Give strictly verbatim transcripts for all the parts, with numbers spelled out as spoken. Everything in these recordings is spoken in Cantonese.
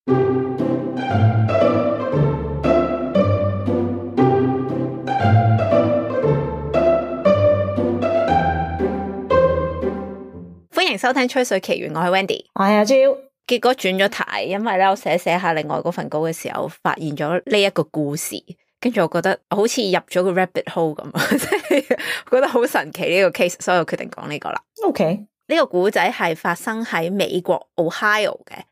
歡迎收聽吹水奇緣，我係 Wendy， 我係阿 Jo。結果轉咗題，因為咧我寫寫下另外嗰份稿嘅時候，發現咗呢一個故事，跟住我覺得好似入咗個 rabbit hole 咁，即係覺得好神奇呢個 case， 所以我決定講呢個啦。OK，呢個故仔係發生喺美國 Ohio 嘅，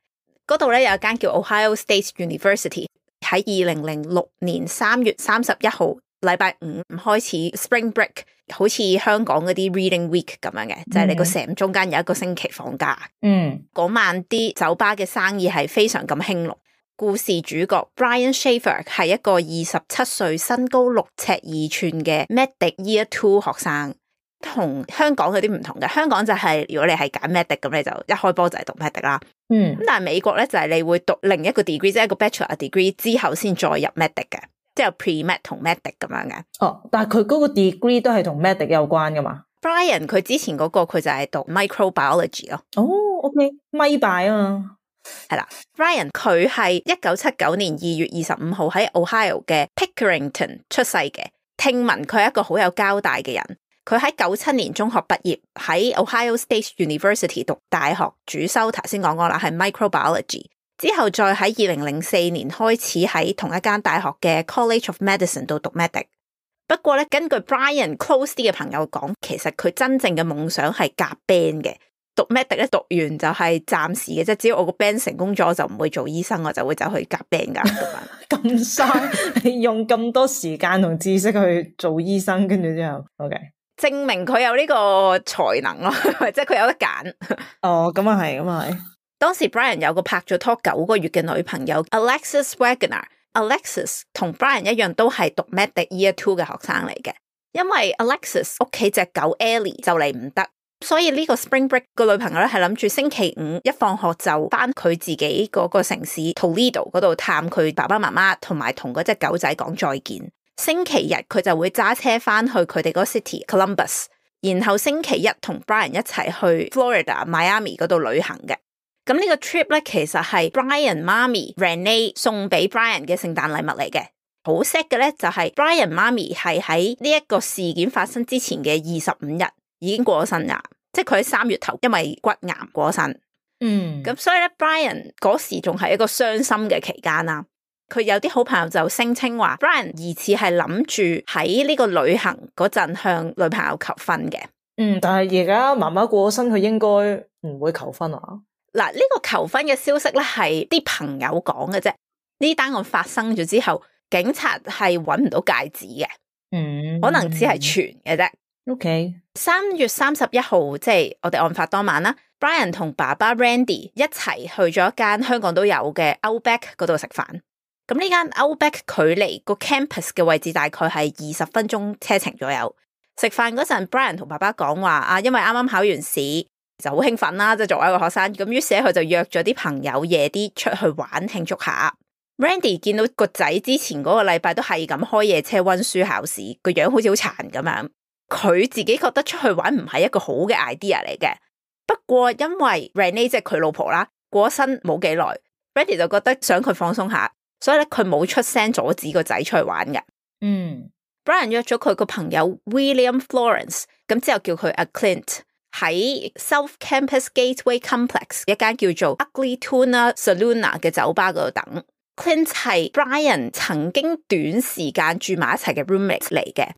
嗰度咧有一間叫 Ohio State University， 喺二零零六年三月三十一號禮拜五開始 Spring Break， 好似香港嗰啲 Reading Week 咁樣嘅，就係、是、你個 sem 中間有一個星期放假。嗯，嗰晚啲酒吧嘅生意係非常咁興隆。故事主角 Brian Shaffer 係一個二十七歲、身高六尺二寸嘅 Medic Year Two 學生，同香港有啲唔同嘅。香港就係、是、如果你係揀 Medic 咁，你就一開波就係讀 Medic 啦。嗯，咁但係美國咧就係、是、你會讀另一個 degree， 即係一個 Bachelor degree 之後先再入 Medic 嘅，即係有 Pre-Med 同 Medic 咁樣嘅。哦，但係佢嗰個 degree 都係同 Medic 有關噶嘛？ Brian 佢之前嗰個佢就係讀 Microbiology 咯。哦 ，OK， 咪拜啊嘛。係啦 ，Brian 佢係一九七九年二月二十五號喺 Ohio 嘅 Pickerington 出世嘅。聽聞佢係一個好有交代嘅人。佢喺九七年中學畢業，喺 Ohio State University 讀大學，主修頭先講過啦，係 Microbiology。之後再喺二零零四年開始喺同一間大學嘅 College of Medicine 度讀 Medic。不過咧，根據 Brian close 啲嘅朋友講，其實佢真正嘅夢想係夾 band 嘅。讀 Medic 咧，讀完就係暫時嘅啫，只要我個 band 成功咗，我就唔會做醫生，我就會走去夾 band 噶。咁嘥，你用咁多時間同知識去做醫生，跟住之後 ，OK， 證明佢有呢個才能咯，即係佢有得揀。哦，咁啊係，咁啊係。當時 Brian 有個拍咗拖九個月嘅女朋友 Alexis Wagner。Alexis 同 Brian 一樣都係讀 Medic Year Two 嘅學生嚟嘅，因為 Alexis 屋企隻狗 Ellie 就嚟唔得。所以呢個 Spring Break 個女朋友咧係諗住星期五一放學就翻佢自己嗰個城市 Toledo 嗰度探佢爸爸媽媽，同埋同嗰隻狗仔講再見。星期日佢就會揸車翻去佢哋嗰 city Columbus， 然後星期一同 Brian 一齊去 Florida Miami 嗰度旅行嘅。咁呢個 trip 咧其實係 Brian 媽咪 Renee 送俾 Brian 嘅聖誕禮物嚟嘅。好 sad 嘅咧就係 Brian 媽咪係喺呢一個事件發生之前嘅二十五日已經過咗身啦，即係佢喺三月頭因為骨癌過身。嗯，咁所以咧 Brian 嗰時仲係一個傷心嘅期間啦。佢有啲好朋友就聲稱話 Brian 疑似係諗住喺呢個旅行嗰陣向女朋友求婚嘅。嗯，但係而家媽媽過咗身，佢應該唔會求婚啊。嗱，呢個求婚嘅消息咧係啲朋友講嘅啫。呢單案發生咗之後，警察係揾唔到戒指嘅。嗯，可能只係傳嘅啫。OK，三月三十一號，即係我哋案發當晚啦。Brian 同爸爸 Randy 一齊去咗一間香港都有嘅 Outback 嗰度食飯。咁呢間 Outback 距離個 campus 嘅位置大概係二十分鐘車程左右。食飯嗰陣 Brian 同爸爸講話啊，因為啱啱考完試就好興奮啦，即係作為一個學生。咁於是佢就約咗啲朋友夜啲出去玩慶祝下。Randy 見到個仔之前嗰個禮拜都係咁開夜車溫書考試，個樣好似好殘咁樣。佢自己覺得出去玩唔係一個好嘅 idea 嚟嘅。不過因為 Renee 即係佢老婆啦，過咗身冇幾耐 Randy 就覺得想佢放鬆下，所以咧佢冇出聲阻止個仔出去玩嘅。嗯 Brian 約咗佢個朋友 William Florence， 咁之後叫佢阿 Clint 喺 South Campus Gateway Complex 一間叫做 Ugly Tuna Saloon 嘅酒吧嗰度等。Clint 係 Brian 曾經短時間住埋一齊嘅 roommate 嚟嘅。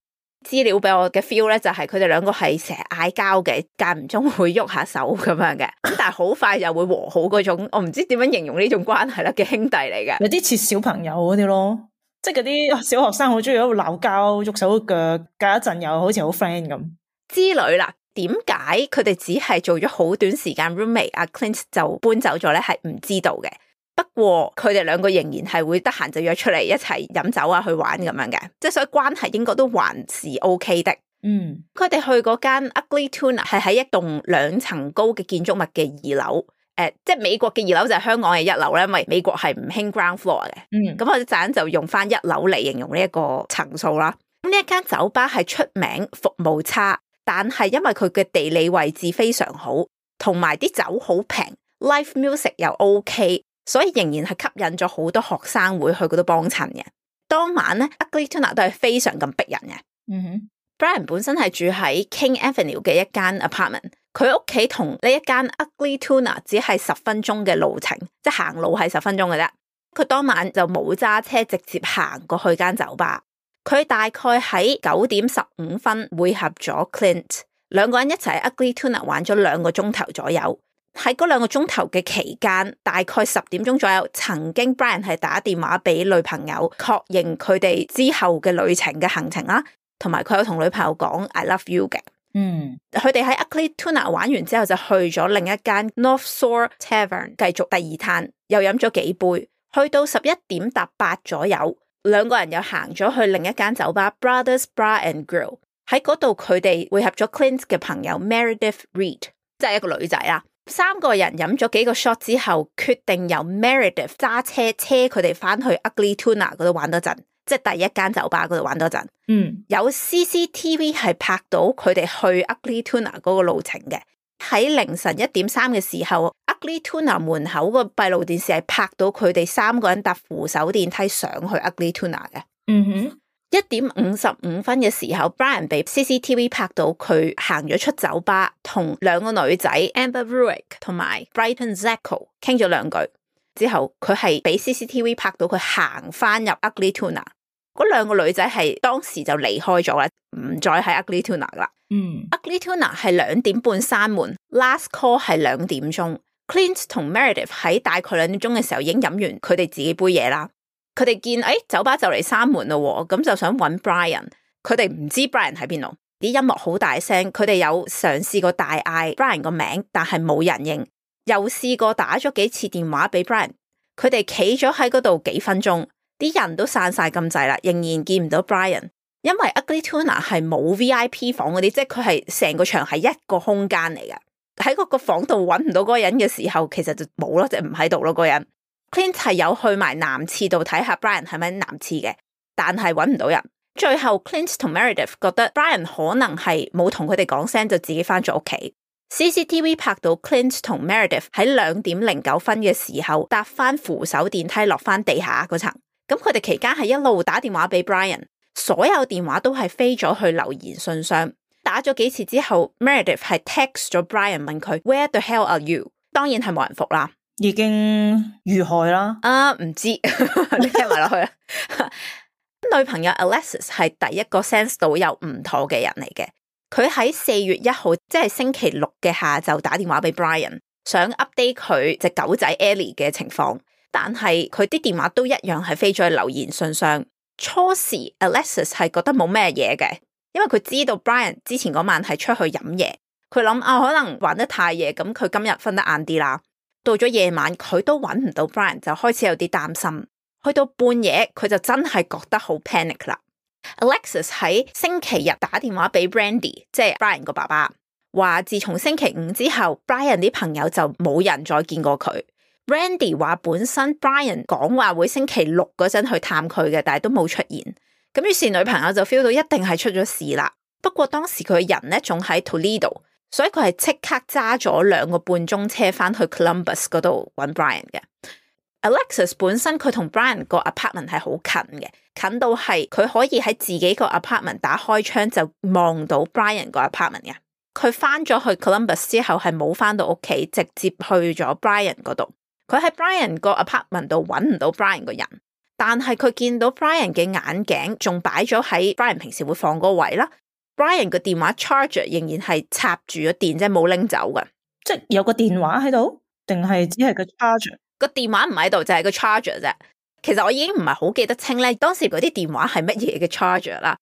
資料俾我嘅 feel 咧就係佢哋兩個係成日嗌交嘅，間唔中會喐下手咁樣嘅，咁但係好快又會和好嗰種，我唔知點樣形容呢種關係啦嘅兄弟嚟嘅。有啲似小朋友嗰啲咯，即係嗰啲小學生好中意喺度鬧交，喐手喐腳，隔一陣又好似好 friend 咁之類啦。點解佢哋只係做咗好短時間 roommate， 阿 Clint 就搬走咗咧？係唔知道嘅。不過佢哋兩個仍然係會得閒就約出嚟一齊飲酒啊，去玩咁樣嘅，即係所以關係應該都還是 OK 的。嗯，佢哋去嗰間 Ugly Tuna 係喺一棟兩層高嘅建築物嘅二樓，誒、呃，即係美國嘅二樓就係香港嘅一樓咧，因為美國係唔興 ground floor 嘅。嗯，咁我哋陣就用翻一樓嚟形容呢一個層數啦。咁呢一間酒吧係出名服務差，但係因為佢嘅地理位置非常好，同埋啲酒好平 ，live music 又 OK。所以仍然係吸引咗好多學生會去嗰度幫襯嘅。當晚咧 Ugly Tuna 都係非常咁逼人嘅。嗯哼 Brian 本身係住喺 King Avenue 嘅一間 apartment， 佢屋企同呢一間 Ugly Tuna 只係十分鐘嘅路程，即係行路係十分鐘嘅啫。佢當晚就冇揸車，直接行過去間酒吧。佢大概喺九點十五分會合咗 Clint， 兩個人一齊喺 Ugly Tuna 玩咗兩個鐘頭左右。喺嗰兩個鐘頭嘅期間，大概十點鐘左右，曾經 Brian 係打電話俾女朋友確認佢哋之後嘅旅程嘅行程啦，同埋佢有同女朋友講 I love you 嘅。嗯，佢哋喺 Ugly Tuna 玩完之後就去咗另一間 North Shore Tavern 繼續第二攤，又飲咗幾杯，去到十一點搭八左右，兩個人又行咗去另一間酒吧 Brothers Bar and Grill， 喺嗰度佢哋會合咗 Clint 嘅朋友 Meredith Reed， 即係一個女仔啦。三個人飲咗幾個 shot 之後，決定由 Meredith 揸車車佢哋翻去 Ugly Tuna 嗰度玩多陣，即係第一間酒吧嗰度玩多陣。嗯，有 C C T V 係拍到佢哋去 Ugly Tuna 嗰個路程嘅。喺凌晨一點三嘅時候 ，Ugly Tuna 門口個閉路電視係拍到佢哋三個人搭扶手電梯上去 Ugly Tuna 嘅。嗯哼。一點五十五分嘅時候 Brian 被 C C T V 拍到佢行咗出酒吧，同兩個女仔 Amber Ruick 同埋 Brighton Zacko 傾咗兩句之後，佢係俾 C C T V 拍到佢行翻入 Ugly Tuna。嗰兩個女仔係當時就離開咗啦，唔再喺 Ugly Tuna 啦。嗯 Ugly Tuna 係兩點半閂門 ，last call 係兩點鐘。Clint 同 Meredith 喺大概兩點鐘嘅時候已經飲完佢哋自己杯嘢啦。佢哋見誒、哎、酒吧就嚟閂門咯，咁就想揾 Brian。佢哋唔知 Brian 喺邊度，啲音樂好大聲。佢哋有嘗試過大嗌 Brian 個名，但係冇人應。又試過打咗幾次電話俾 Brian。佢哋企咗喺嗰度幾分鐘，啲人都散晒咁滯啦，仍然見唔到 Brian。因為 Ugly Tuna 係冇 V I P 房嗰啲，即係佢係成個場係一個空間嚟嘅。喺嗰個房度揾唔到嗰個人嘅時候，其實就冇咯，即係唔喺度咯，嗰個人。Clint 係有去埋男廁度睇下 Brian 係咪男廁嘅，但係揾唔到人。最後 Clint 同 Meredith 覺得 Brian 可能係冇同佢哋講聲就自己翻咗屋企。C C T V 拍到 Clint 同 Meredith 喺兩點零九分嘅時候搭翻扶手電梯落翻地下嗰層。咁佢哋期間係一路打電話俾 Brian， 所有電話都係飛咗去留言信箱。打咗幾次之後 Meredith 係 text 咗 Brian 問佢 Where the hell are you？ 當然係冇人覆啦。已經遇害啦。啊，唔知你聽埋落去啦。女朋友 Alexis 係第一個 sense 到有唔妥嘅人嚟嘅。佢喺四月一號，即係星期六嘅下晝打電話俾 Brian， 想 update 佢隻狗仔 Ellie 嘅情況，但係佢啲電話都一樣係飛咗去留言信箱。初時 Alexis 係覺得冇咩嘢嘅，因為佢知道 Brian 之前嗰晚係出去飲嘢，佢諗啊可能玩得太夜，咁佢今日瞓得晏啲啦。到咗夜晚佢都揾唔到 Brian， 就開始有啲擔心。去到半夜佢就真係覺得好 panic 啦。Alexis 喺星期日打電話俾 Brandy， 即係 Brian 個爸爸，話自從星期五之後 Brian 啲朋友就冇人再見過佢。Brandy 話本身 Brian 講話會星期六嗰陣去探佢嘅，但係都冇出現。咁於是女朋友就 feel 到一定係出咗事啦。不過當時佢人咧仲喺 Toledo，所以佢係即刻揸咗兩個半鐘車翻去 Columbus 嗰度揾 Brian 嘅。Alexis 本身佢同 Brian 個 apartment 係好近嘅，近到係佢可以喺自己個 apartment 打開窗就望到 Brian 個 apartment 嘅。佢翻咗去 Columbus 之後係冇翻到屋企，直接去咗 Brian 嗰度。佢喺 Brian 個 apartment 度揾唔到 Brian 個人，但係佢見到 Brian 嘅眼鏡仲擺咗喺 Brian 平時會放嗰個位啦。Brian 個電話 charger 仍然係插住咗電，即係冇拎走嘅。即係有個電話喺度，定係只係個 charger？個電話唔喺度，就係個 charger 啫。其實我已經唔係好記得清咧，當時嗰啲電話係乜嘢嘅 charger 啦。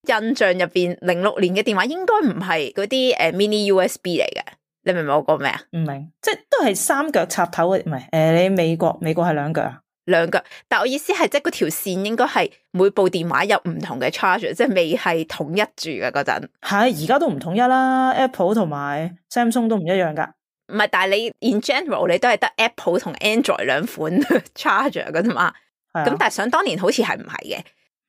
印象入邊零六年嘅電話應該唔係嗰啲誒 mini U S B 嚟嘅。你明唔明我講咩啊？唔明，即係都係三腳插頭嘅，唔係誒？你美國美國係兩腳啊？兩腳，但我意思係即係嗰條線應該係每部電話有唔同嘅 charger， 即係未係統一住嘅嗰陣。係而家都唔統一啦 ，Apple 同埋 Samsung 都唔一樣噶。唔係，但係你 in general 你都係得 Apple 同 Android 兩款 charger 噶啫嘛。咁、啊、但係想當年好似係唔係嘅。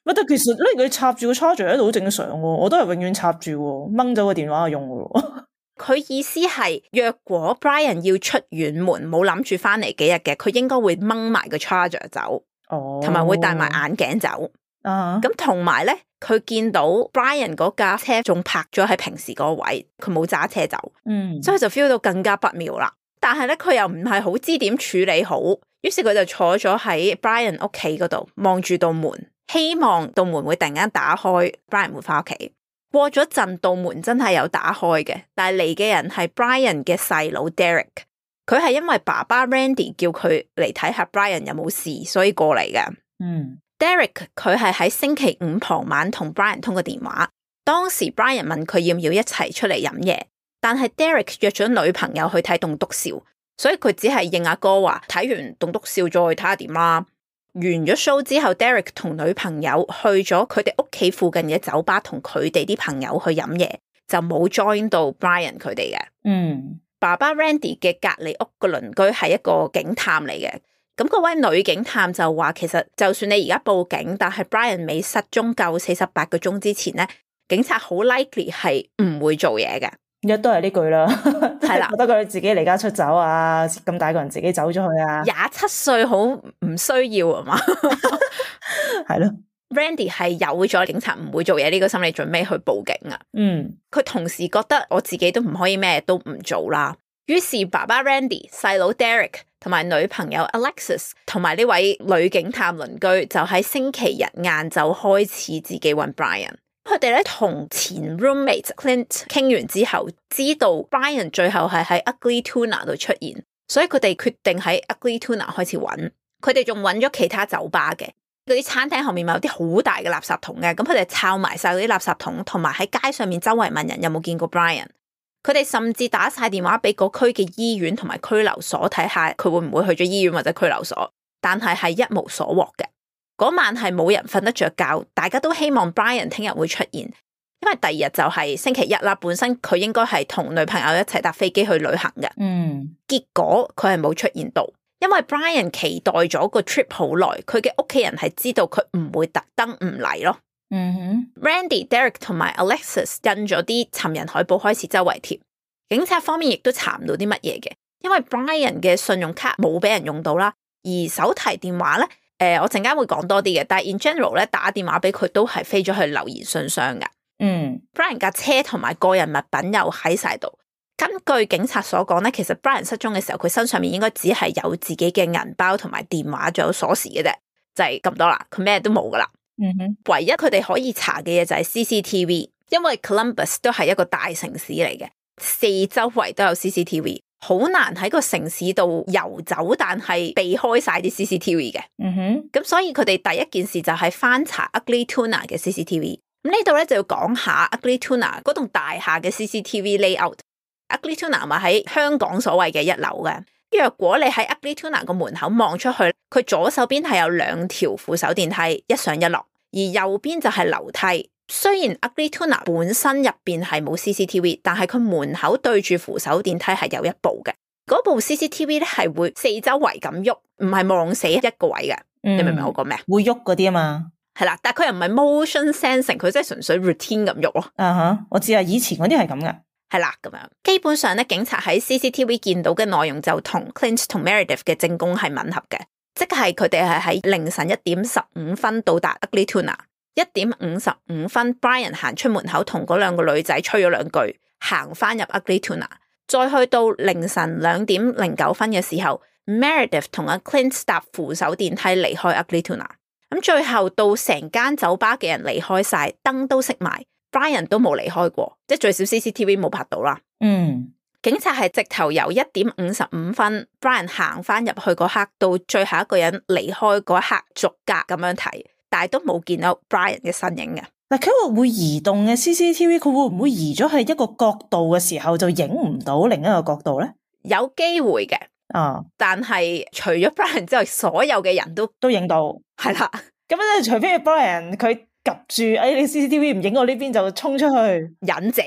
乜但其實呢佢插住個 charger 喺度好正常喎，我都係永遠插住，掹走個電話用噶咯。佢意思係若果 Brian 要出遠門，冇諗住翻嚟幾日嘅，佢應該會掹埋個 charger 走，哦，同埋會戴埋眼鏡走。啊，咁同埋咧，佢見到 Brian 嗰架車仲泊咗喺平時嗰個位，佢冇揸車走，嗯，所以就 feel 到更加不妙啦。但係咧，佢又唔係好知點處理好，於是佢就坐咗喺 Brian 屋企嗰度，望住道門，希望道門會突然間打開 ，Brian 會翻屋企。過咗陣，道門真係有打開嘅，但係嚟嘅人係 Brian 嘅細佬 Derek， 佢係因為爸爸 Randy 叫佢嚟睇下 Brian 有冇事，所以過嚟嘅。嗯。Derek 佢係喺星期五傍晚同 Brian 通過電話，當時 Brian 問佢要唔要一齊出嚟飲嘢，但係 Derek 約咗女朋友去睇棟篤笑，所以佢只係應阿哥話睇完棟篤笑再睇下點啦。完咗 show 之後 Derek 同女朋友去咗佢哋屋企附近嘅酒吧同佢哋啲朋友去飲嘢，就冇 join 到 Brian 佢哋嘅。嗯，爸爸 Randy 嘅隔離屋個鄰居係一個警探嚟嘅。咁嗰位女警探就話，其實就算你而家報警，但係 Brian 未失蹤夠四十八個鐘之前咧，警察好 likely 係唔會做嘢嘅。一都係呢句啦，係啦，覺得佢自己離家出走啊，咁大個人自己走咗去啊，廿七歲好唔需要啊嘛，係咯。Randy 係有咗警察唔會做嘢呢個心理準備去報警啊。嗯，佢同時覺得我自己都唔可以咩都唔做啦，於是爸爸 Randy、細佬 Derek 同埋女朋友 Alexis 同埋呢位女警探鄰居就喺星期日晏晝開始自己揾 Brian。佢哋咧同前 roommate Clint 傾完之後，知道 Brian 最後係喺 Ugly Tuna 度出現，所以佢哋決定喺 Ugly Tuna 開始揾。佢哋仲揾咗其他酒吧嘅，嗰啲餐廳後面咪有啲好大嘅垃圾桶嘅，咁佢哋抄埋晒嗰啲垃圾桶，同埋喺街上面周圍問人有冇見過 Brian。佢哋甚至打晒電話俾嗰區嘅醫院同埋拘留所睇下佢會唔會去咗醫院或者拘留所，但係係一無所獲嘅。嗰晚係冇人瞓得着覺，大家都希望 Brian 聽日會出現，因為第二日就係星期一啦。本身佢應該係同女朋友一齊搭飛機去旅行嘅，嗯，結果佢係冇出現到，因為 Brian 期待咗個 trip 好耐，佢嘅屋企人係知道佢唔會特登唔嚟咯。嗯哼 Randy、Derek 同埋 Alexis 印咗啲尋人海報開始周圍貼，警察方面亦都查唔到啲乜嘢嘅，因為 Brian 嘅信用卡冇俾人用到啦，而手提電話咧，誒、呃、我陣間會講多啲嘅，但係 in general 咧打電話俾佢都係飛咗去留言信箱噶。嗯 Brian 架車同埋個人物品又喺晒度。根據警察所講咧，其實 Brian 失蹤嘅時候，佢身上面應該只係有自己嘅銀包同埋電話，仲有鎖匙嘅啫，就係、是、咁多啦，佢咩都冇噶啦。嗯哼，唯一佢哋可以查嘅嘢就係 C C T V， 因為 Columbus 都係一個大城市嚟嘅，四周圍都有 C C T V， 好難喺個城市度遊走，但係避開晒啲 C C T V 嘅。嗯哼，咁所以佢哋第一件事就係翻查 Ugly Tuna 嘅 C C T V。咁呢度咧就要講下 Ugly Tuna 嗰棟大廈嘅 C C T V layout。Ugly Tuna 咪喺香港所謂嘅一樓嘅。若果你喺 Ugly Tuna 個門口望出去，佢左手邊係有兩條扶手電梯，一上一落，而右邊就係樓梯。雖然 Ugly Tuna 本身入邊係冇 C C T V， 但係佢門口對住扶手電梯係有一部嘅。嗰部 C C T V 咧係會四周圍咁喐，唔係望死一個位嘅。嗯、你明唔明我講咩？會喐嗰啲啊嘛，係啦，但係佢又唔係 motion sensing， 佢真係純粹 routine 咁喐咯。啊哈，我知啊，以前嗰啲係咁噶。係啦，咁樣基本上咧，警察喺 C C T V 見到嘅內容就同 Clint 同 Meredith 嘅證供係吻合嘅，即係佢哋係喺凌晨一點十五分到達 Ugly Tuna， 一點五十五分 Brian 行出門口同嗰兩個女仔吹咗兩句，行翻入 Ugly Tuna， 再去到凌晨兩點零九分嘅時候 Meredith 同阿 Clint 搭扶手電梯離開 Ugly Tuna， 咁最後到成間酒吧嘅人離開晒，燈都熄埋，Brian 都冇離開過，即係最少 C C T V 冇拍到啦。嗯，警察係直頭由一點五十五分 Brian 行翻入去嗰刻到最後一個人離開嗰一刻逐格咁樣睇，但係都冇見到 Brian 嘅身影嘅。嗱，佢話會移動嘅 C C T V， 佢會唔會移咗去一個角度嘅時候就影唔到另一個角度咧？有機會嘅，啊，但係除咗 Brian 之外，所有嘅人都都影到，係啦。咁咧，除非 Brian 佢及住，哎，你 C C T V 唔影我呢邊就衝出去，忍者。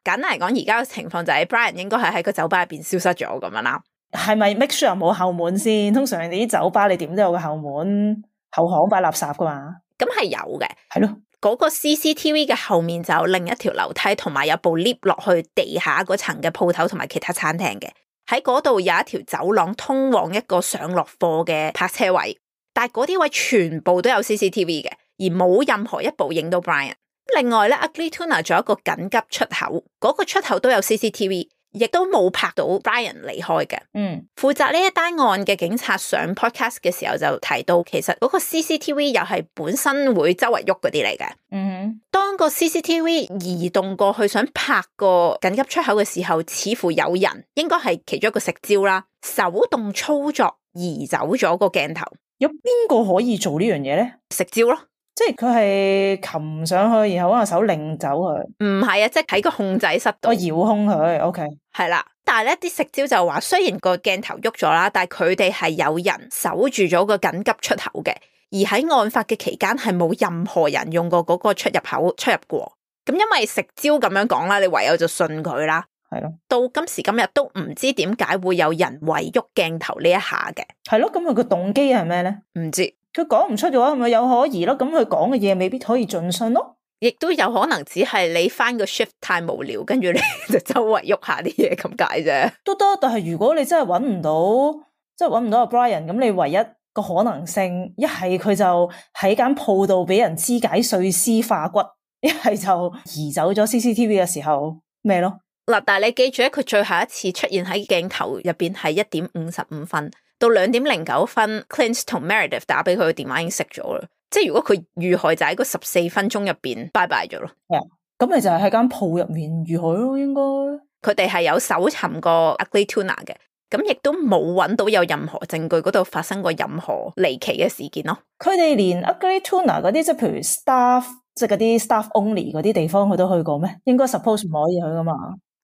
簡單嚟講，而家嘅情況就係 Brian 應該係喺個酒吧入邊消失咗咁樣啦。係咪 make sure 冇後門先？通常你啲酒吧你點都有個後門後巷擺垃圾噶嘛？咁係有嘅，係咯。嗰個 C C T V 嘅後面就有另一條樓梯，同埋有部 lift 落去地下嗰層嘅鋪頭同埋其他餐廳嘅。喺嗰度有一條走廊通往一個上落貨嘅泊車位，但係嗰啲位全部都有 C C T V 嘅，而冇任何一部影到 Brian。另外咧 Ugly Tuna 仲有一個緊急出口，嗰、嗰個出口都有 C C T V， 亦都冇拍到 Brian 離開嘅。嗯，負責呢一單案嘅警察上 podcast 嘅時候就提到，其實嗰個 C C T V 又係本身會周圍喐嗰啲嚟嘅。嗯哼，當個 C C T V 移動過去想拍個緊急出口嘅時候，似乎有人，應該係其中一個食蕉啦，手動操作移走咗個鏡頭。有邊個可以做呢樣嘢咧？食蕉咯。即係佢係擒上去，然後揾個手擰走佢。唔係啊，即係喺個控制室度。我遙控佢 ，OK。係啦，但係咧啲食蕉就話，雖然個鏡頭喐咗啦，但係佢哋係有人守住咗個緊急出口嘅，而喺案發嘅期間係冇任何人用過嗰個出入口出入過。咁因為食蕉咁樣講啦，你唯有就信佢啦。係咯，到今時今日都唔知點解會有人為喐鏡頭呢一下嘅。係咯，咁佢個動機係咩咧？唔知。佢講唔出嘅話，咪有可疑咯。咁佢講嘅嘢未必可以盡信咯。亦都有可能只係你翻個 shift 太無聊，跟住你就周圍喐下啲嘢咁解啫。都得，但係如果你真係揾唔到，即係揾唔到阿 Brian，咁你唯一個可能性，一係佢就喺間鋪度俾人肢解碎屍化骨，一係就移走咗 C C T V 嘅時候咩咯？嗱，但係你記住咧，佢最後一次出現喺鏡頭入邊係一點五十五分。到兩點零九分 ，Clint 同 Meredith 打俾佢嘅電話已經熄咗啦。即係如果佢遇害就喺嗰十四分鐘入邊拜拜咗咯。係啊，咁咪就係喺間鋪入面遇害咯，應該。佢哋係有搜尋過 Ugly Tuna 嘅，咁亦都冇揾到有任何證據嗰度發生過任何離奇嘅事件咯。佢哋連 Ugly Tuna 嗰啲，即係譬如 staff，即係嗰啲 staff only 嗰啲地方，佢都去過咩？應該 suppose 唔可以去噶嘛。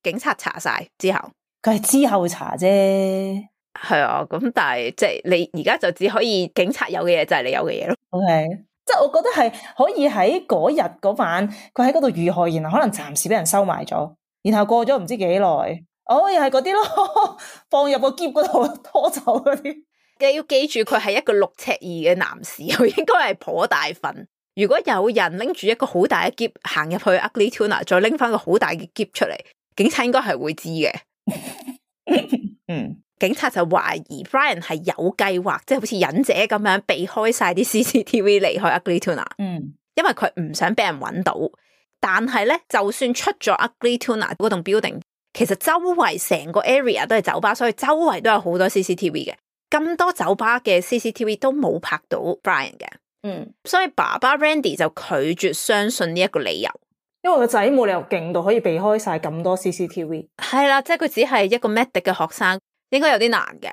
警察查晒之後，佢係之後查啫。係啊，咁但係即係你而家就只可以警察有嘅嘢就係你有嘅嘢咯。OK，即係我覺得係可以喺嗰日嗰晚佢喺嗰度遇害，然後可能暫時俾人收埋咗，然後過咗唔知幾耐，哦又係嗰啲咯，放入個箧嗰度拖走嗰啲。你要記住佢係一個六尺二嘅男士，佢應該係頗大份。如果有人拎住一個好大嘅箧行入去 Ugly Tuna， 再拎翻個好大嘅箧出嚟，警察應該係會知嘅。嗯。警察就懷疑 Brian 係有計劃，即係好似忍者咁樣避開晒啲 C C T V 離開 Ugly Tuna。嗯，因為佢唔想俾人揾到。但係咧，就算出咗 Ugly Tuna 嗰棟 building， 其實周圍成個 area 都係酒吧，所以周圍都有好多 C C T V 嘅。咁多酒吧嘅 C C T V 都冇拍到 Brian 嘅。嗯，所以爸爸 Randy 就拒絕相信呢一個理由，因為個仔冇理由勁到可以避開晒咁多 C C T V。係啦，即係佢只係一個 medic 嘅學生。應該有啲難嘅。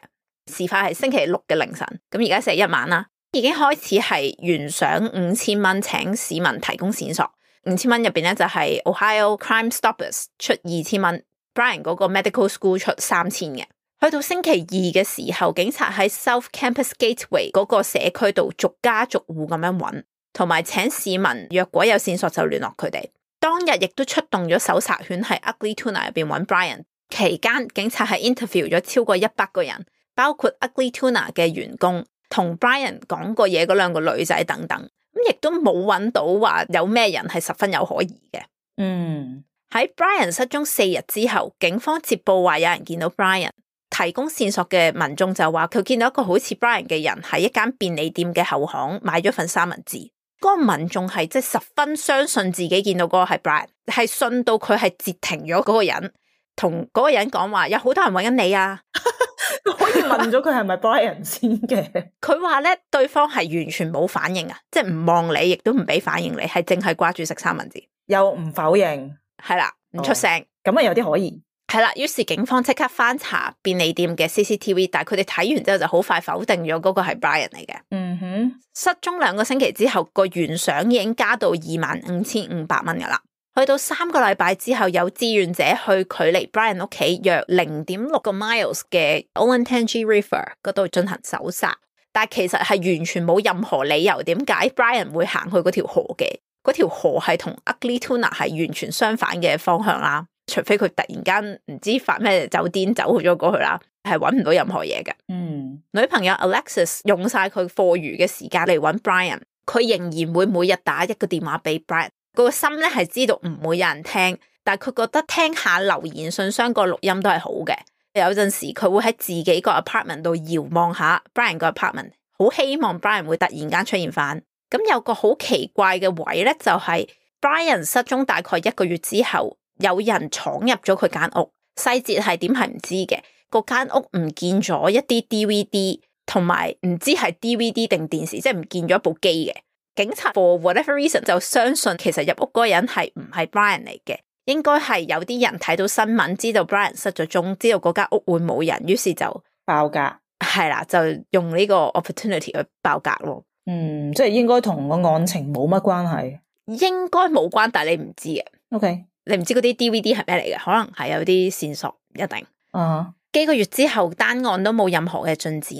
事發係星期六嘅凌晨，咁而家星期一晚啦，已經開始係懸賞五千蚊，請市民提供線索。五千蚊入邊咧就係 Ohio Crime Stoppers 出二千蚊 ，Brian 嗰個 Medical School 出三千嘅。去到星期二嘅時候，警察喺 South Campus Gateway 嗰個社區度逐家逐戶咁樣揾，同埋請市民若果有線索就聯絡佢哋。當日亦都出動咗搜查犬喺 Ugly Tuna 入邊揾 Brian。期間警察係 interview 咗超過一百個人，包括 Ugly Tuna 嘅員工，同 Brian 講過嘢嗰兩個女仔等等，咁亦都冇揾到話有咩人係十分有可疑嘅。嗯，喺 Brian 失蹤四日之後，警方接報話有人見到 Brian， 提供線索嘅民眾就話佢見到一個好似 Brian 嘅人喺一間便利店嘅後巷買咗份三文治。嗰、那個民眾係即係十分相信自己見到嗰個係 Brian， 係信到佢係截停咗嗰個人。同嗰個人講話有好多人揾緊你啊，可以問咗佢係咪 Brian 先嘅？佢話咧對方係完全冇反應啊，即係唔望你，亦都唔俾反應你，係淨係掛住食三文治，又唔否認，係啦，唔出聲，咁啊有啲可疑，係啦。於是警方即刻翻查便利店嘅 C C T V， 但係佢哋睇完之後就好快否定咗嗰個係 Brian 嚟嘅。嗯哼，失蹤兩個星期之後，個懸賞已經加到二萬五千五百蚊噶啦。去到三個禮拜之後，有志願者去距離 Brian 屋企約零點六個 miles 嘅 Olentangy River 嗰度進行搜查，但係其實係完全冇任何理由點解 Brian 會行去嗰條河嘅。嗰條河係同 Ugly Tuna 係完全相反嘅方向啦，除非佢突然間唔知發咩酒癲走咗過去啦，係揾唔到任何嘢嘅。嗯，女朋友 Alexis 用晒佢課餘嘅時間嚟揾 Brian。佢仍然會每日打一個電話俾 Brian。個心咧係知道唔會有人聽，但係佢覺得聽下留言信箱個錄音都係好嘅。有陣時佢會喺自己個 apartment 度遙望下 Brian 個 apartment， 好希望 Brian 會突然間出現翻。咁有個好奇怪嘅位咧，就係 Brian 失蹤大概一個月之後，有人闖入咗佢間屋，細節係點係唔知嘅。個間屋唔見咗一啲 D V D， 同埋唔知係 D V D 定電視，即係唔見咗一部機嘅。警察 for whatever reason 就相信其實入屋嗰個人係唔係 Brian 嚟嘅，應該係有啲人睇到新聞，知道 Brian 失咗蹤，知道嗰間屋會冇人，於是就爆格。係啦，就用呢個 opportunity 去爆格咯。嗯，即係應該同個案情冇乜關係。應該冇關，但係你唔知嘅。OK， 你唔知嗰啲 D V D 係咩嚟嘅，可能係有啲線索，一定。啊、uh-huh. 幾個月之後，單案都冇任何嘅進展。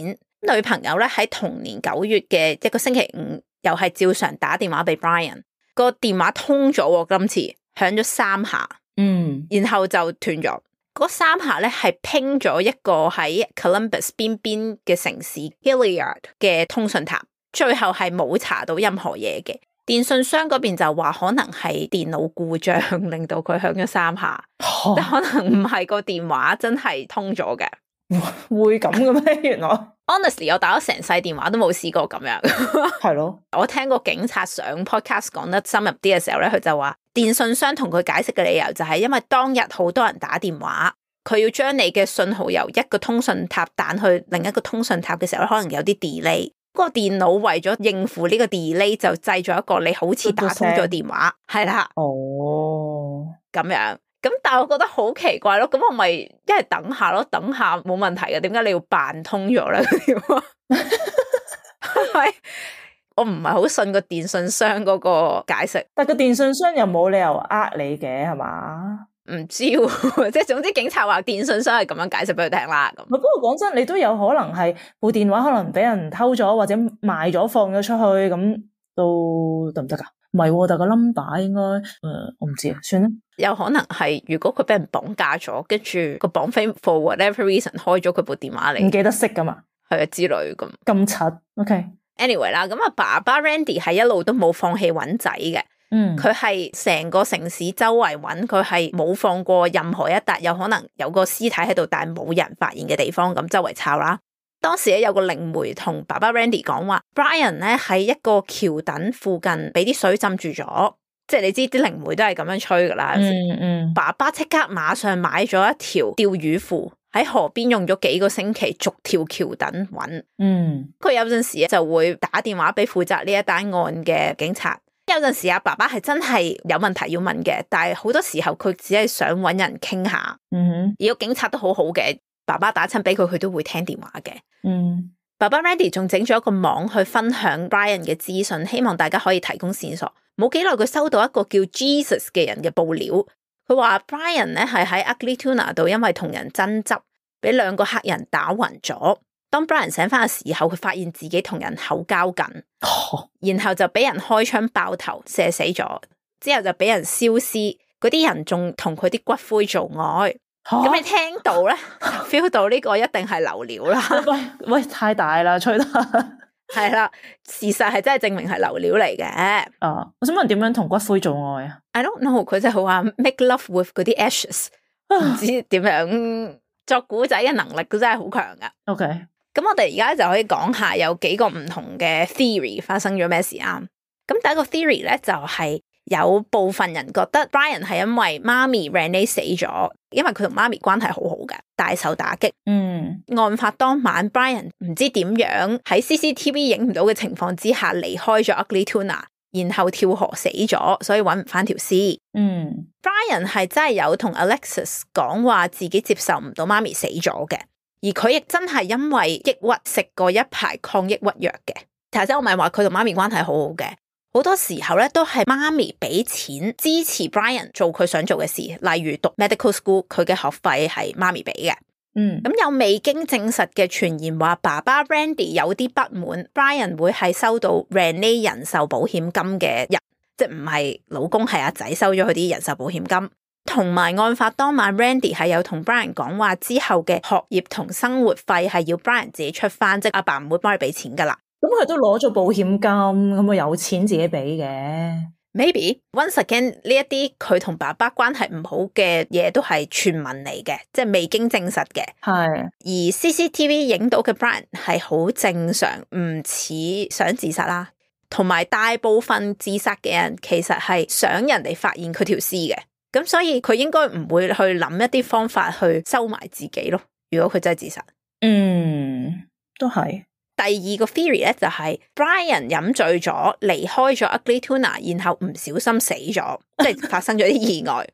女朋友咧喺同年九月嘅一個星期五，又係照常打電話俾 Brian， 個電話通咗，今次響咗三下，嗯，然後就斷咗。嗰三下咧係拼咗一個喺 Columbus 邊邊嘅城市 Hilliard 嘅通訊塔，最後係冇查到任何嘢嘅。電信商嗰邊就話可能係電腦故障令到佢響咗三下，哦、即可能唔係個電話真係通咗嘅。會咁嘅咩？原來 honestly 我打咗成世電話都冇試過咁樣。係咯，我聽過警察上 podcast 講得深入啲嘅時候咧，佢就話電信商同佢解釋嘅理由就係因為當日好多人打電話，佢要將你嘅信號由一個通訊塔彈去另一個通訊塔嘅時候，可能有啲 delay。個電腦為咗應付呢個 delay 就製咗一個你好似打通咗電話，係啦，哦，咁樣，咁但係我覺得好奇怪咯，咁我咪一係等下咯，等下冇問題嘅，點解你要扮通咗咧？係咪？我唔係好信個電信商嗰個解釋，但係個電信商又冇理由呃你嘅，係嘛？唔知喎，即係總之警察話電信商係咁樣解釋俾佢聽啦。咁不過講真，你都有可能係部電話可能俾人偷咗或者賣咗放咗出去，咁都得唔得噶？唔係，但係個 number 應該誒、呃，我唔知啊，算啦。有可能係如果佢俾人綁架咗，跟住個綁匪 for whatever reason 開咗佢部電話嚟，唔記得識噶嘛，係啊之類咁。咁柒 ，OK。Anyway 啦，咁啊爸爸 Randy 係一路都冇放棄揾仔嘅。嗯，佢係成個城市周圍揾，佢係冇放過任何一笪有可能有個屍體喺度但係冇人發現嘅地方，咁周圍抄啦。當時咧有個靈媒同爸爸 Randy 講話 ，Brian 咧喺一個橋墩附近俾啲水浸住咗，即係你知啲靈媒都係咁樣吹噶啦。嗯嗯，爸爸即刻馬上買咗一條釣魚褲，喺河邊用咗幾個星期逐條橋墩揾。嗯，佢有陣時就會打電話俾負責呢一單案嘅警察。有陣時阿爸爸係真係有問題要問嘅，但係好多時候佢只係想搵人傾下。嗯哼，而個警察都好好嘅，爸爸打親俾佢，佢都會聽電話嘅。嗯，爸爸 Randy 仲整咗一個網去分享 Brian 嘅資訊，希望大家可以提供線索。冇幾耐佢收到一個叫 Jesus 嘅人嘅報料，佢話 Brian 咧係喺 Ugly Tuna 度因為同人爭執，俾兩個黑人打暈咗。當 Brian 醒翻嘅時候，佢發現自己同人口交緊，哦、然後就俾人開槍爆頭射死咗，之後就俾人燒屍，嗰啲人仲同佢啲骨灰做愛。咁、哦、你聽到咧 ，feel 到呢個一定係流料啦。喂喂，太大啦，吹得係啦，事實係真係證明係流料嚟嘅。啊，我想問點樣同骨灰做愛啊 ？I don't know，佢就係話 make love with 嗰啲 ashes，唔知點樣作古仔嘅能力都真係好強噶。OK。咁我哋而家就可以講下有幾個唔同嘅 theory 發生咗咩事啊？咁第一個 theory 咧就係、是、有部分人覺得 Brian 係因為媽咪 Renee 死咗，因為佢同媽咪關係好好嘅，大受打擊。嗯，案發當晚 Brian 唔知點樣喺 C C T V 影唔到嘅情況之下離開咗 Ugly Tuna， 然後跳河死咗，所以揾唔翻條屍。嗯 ，Brian 係真係有同 Alexis 講話自己接受唔到媽咪死咗嘅。而佢亦真係因為抑鬱食過一排抗抑鬱藥嘅。頭先我咪話佢同媽咪關係好好嘅，好多時候咧都係媽咪俾錢支持 Brian 做佢想做嘅事，例如讀 medical school， 佢嘅學費係媽咪俾嘅。嗯，咁有未經證實嘅傳言話爸爸 Randy 有啲不滿 Brian 會係收到 Renee 人壽保險金嘅人，即係唔係老公係阿仔收咗佢啲人壽保險金。同埋案發當晚 Randy 係有同 Brian 講話之後嘅學業同生活費係要 Brian 自己出翻，即係阿爸唔會幫佢俾錢噶啦。咁佢都攞咗保險金，咁佢有錢自己俾嘅。Maybe once again 呢一啲佢同爸爸關係唔好嘅嘢都係傳聞嚟嘅，即係未經證實嘅。係而 C C T V 影到嘅 Brian 係好正常，唔似想自殺啦。同埋大部分自殺嘅人其實係想人哋發現佢條屍嘅，咁所以佢應該唔會去諗一啲方法去收埋自己咯。如果佢真係自殺，嗯，都係。第二個 theory 咧就係、是、Brian 飲醉咗離開咗 Ugly Tuna， 然後唔小心死咗，即係發生咗啲意外。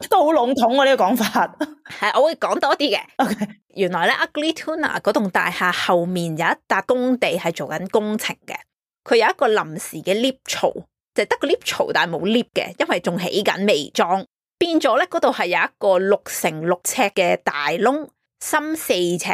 都好籠統啊呢、這個講法。係我會講多啲嘅。Okay. 原來咧 Ugly Tuna 嗰棟大廈後面有一笪工地係做緊工程嘅，佢有一個臨時嘅 lift 槽，就得個 lift 槽但係冇 lift 嘅，因為仲起緊未裝，變咗咧嗰度係有一個六乘六尺嘅大窿，深四尺。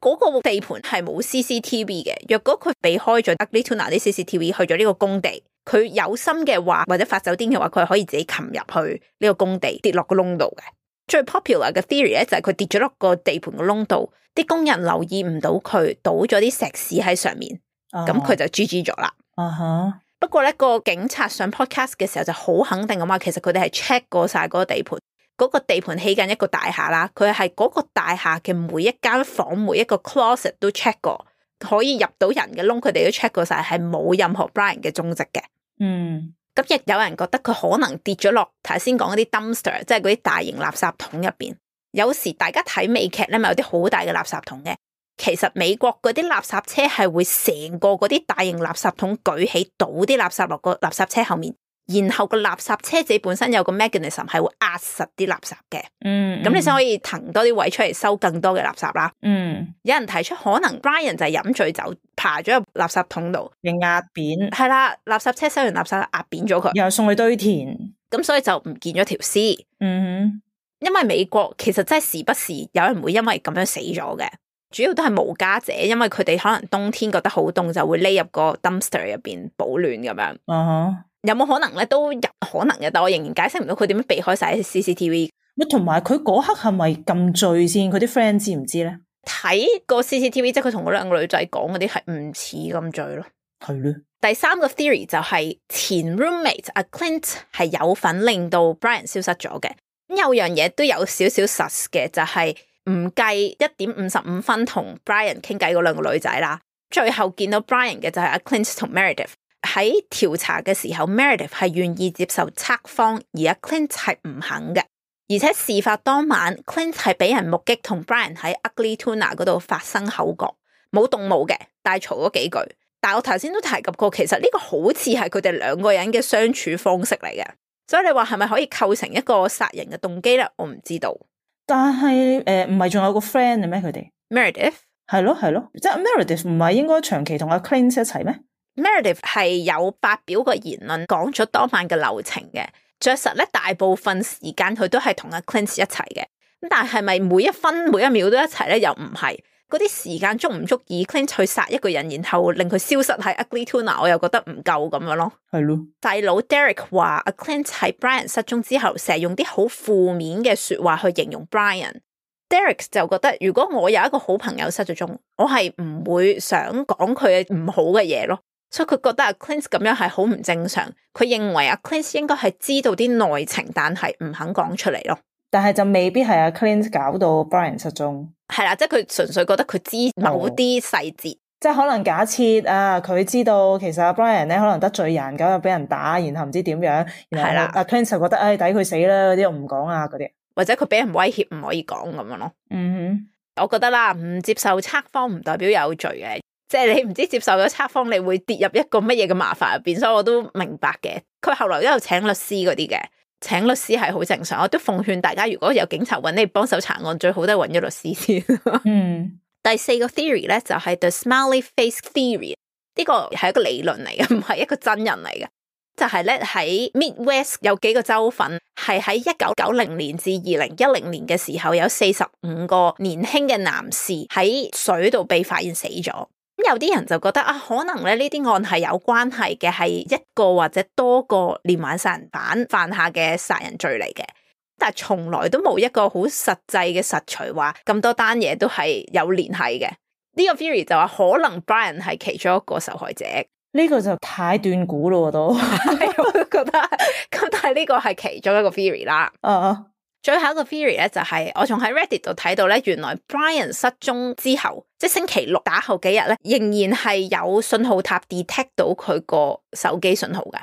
嗰個地盤係冇 C C T V 嘅，若果佢避開咗 Ugly Tuna 啲 C C T V 去咗呢個工地，佢有心嘅話或者發酒癲嘅話，佢係可以自己擒入去呢個工地跌落個窿度嘅。最 popular 嘅 theory 咧就係佢跌咗落個地盤個窿度，啲工人留意唔到佢，倒咗啲石屎喺上面，咁佢、uh huh. 就 G G 咗啦。啊哈！不過咧個警察上 podcast 嘅時候就好肯定咁話，其實佢哋係 check 過晒嗰個地盤。嗰個地盤起緊一個大廈啦，佢係嗰個大廈嘅每一間房每一個 closet 都 check 過，可以入到人嘅窿，佢哋都 check 過晒，係冇任何 Brian 嘅蹤跡嘅。嗯，咁亦有人覺得佢可能跌咗落頭先講嗰啲 dumpster， 即係嗰啲大型垃圾桶入邊。有時大家睇美劇咧，咪有啲好大嘅垃圾桶嘅。其實美國嗰啲垃圾車係會成個嗰啲大型垃圾桶舉起，倒啲垃圾落個垃圾車後面。然後個垃圾車自己本身有個 mechanism 係會壓實啲垃圾嘅，嗯，咁你先可以騰多啲位出嚟收更多嘅垃圾啦。嗯，有人提出可能 Brian 就係飲醉酒，爬咗入垃圾桶度，被壓扁。係啦，垃圾車收完垃圾壓扁咗佢，然後送去堆填，咁所以就唔見咗條屍。嗯哼，因為美國其實真係時不時有人會因為咁樣死咗嘅，主要都係無家者，因為佢哋可能冬天覺得好凍，就會匿入個 dumpster 入邊保暖咁樣。啊哈。有冇可能咧？都有可能嘅，但我仍然解釋唔到佢點樣避開晒啲 C C T V。同埋佢嗰刻係咪咁醉先？佢啲 friend 知唔知咧？睇個 C C T V， 即係佢同嗰兩個女仔講嗰啲係唔似咁醉咯。係咧。第三個 theory 就係前 roommate 阿 Clint 係有份令到 Brian 消失咗嘅。咁有樣嘢都有少少實嘅，就係唔計一點五十五分同 Brian 傾偈嗰兩個女仔啦。最後見到 Brian 嘅就係阿 Clint 同 Meredith。喺調查嘅時候 Meredith 係願意接受測謊，而阿 Clint 係唔肯嘅。而且事發當晚 Clint 係俾人目擊同 Brian 喺 Ugly Tuna 嗰度發生口角，冇動武嘅，但係嘈咗幾句。但係我頭先都提及過，其實呢個好似係佢哋兩個人嘅相處方式嚟嘅，所以你話係咪可以構成一個殺人嘅動機咧？我唔知道。但係誒，唔係仲有個 friend 嘅咩？佢哋 Meredith 係咯係咯，即係 Meredith 唔係應該長期同阿 Clint 一齊咩？Meredith 係有發表個言論，講咗當晚嘅流程嘅。着實咧，大部分時間佢都係同阿 Clint 一齊嘅。咁但係咪每一分每一秒都一齊咧？又唔係。嗰啲時間足唔足以 Clint 去殺一個人，然後令佢消失喺 Ugly Tuna？ 我又覺得唔夠咁樣咯。係咯。細佬 Derek 話阿 Clint 喺 Brian 失蹤之後，成日用啲好負面嘅說話去形容 Brian。Derek 就覺得，如果我有一個好朋友失咗蹤，我係唔會想講佢唔好嘅嘢咯。所以佢覺得阿 Clint 咁樣係好唔正常，佢認為阿 Clint 應該係知道啲內情，但係唔肯講出嚟咯。但係就未必係阿 Clint 搞到 Brian 失蹤。係啦，即係佢純粹覺得佢知某啲細節，即係可能假設啊，佢知道其實阿 Brian 咧可能得罪人，咁又俾人打，然後唔知點樣，然後阿 Clint 就覺得唉抵佢死啦，嗰啲我唔講啊，嗰啲或者佢俾人威脅唔可以講咁樣咯。嗯哼，我覺得啦，唔接受測謊唔代表有罪嘅。即係你唔知接受咗測謊，你會跌入一個乜嘢嘅麻煩入邊，所以我都明白嘅。佢後來都有請律師嗰啲嘅，請律師係好正常。我都奉勸大家，如果有警察揾你幫手查案，最好都係揾咗律師先。嗯，第四個 theory 咧就係、是、the smiley face theory， 呢個係一個理論嚟嘅，唔係一個真人嚟嘅。就係咧喺 Midwest 有幾個州份係喺一九九零年至二零一零年嘅時候，有四十五個年輕嘅男士喺水度被發現死咗。有啲人就覺得啊，可能咧呢啲案係有關係嘅，係一個或者多個連環殺人犯犯下嘅殺人罪嚟嘅，但係從來都冇一個好實際嘅實錘話咁多單嘢都係有聯繫嘅。呢個 theory 就話可能 Brian 係其中一個受害者。呢個就太斷估咯，我都我都覺得。咁但係呢個係其中一個 theory 啦。啊、uh， 最後一個 theory 咧就係、是、我仲喺 Reddit 度睇到咧，原來 Brian 失蹤之後，即係星期六打後幾日咧，仍然係有信號塔 detect 到佢個手機信號嘅。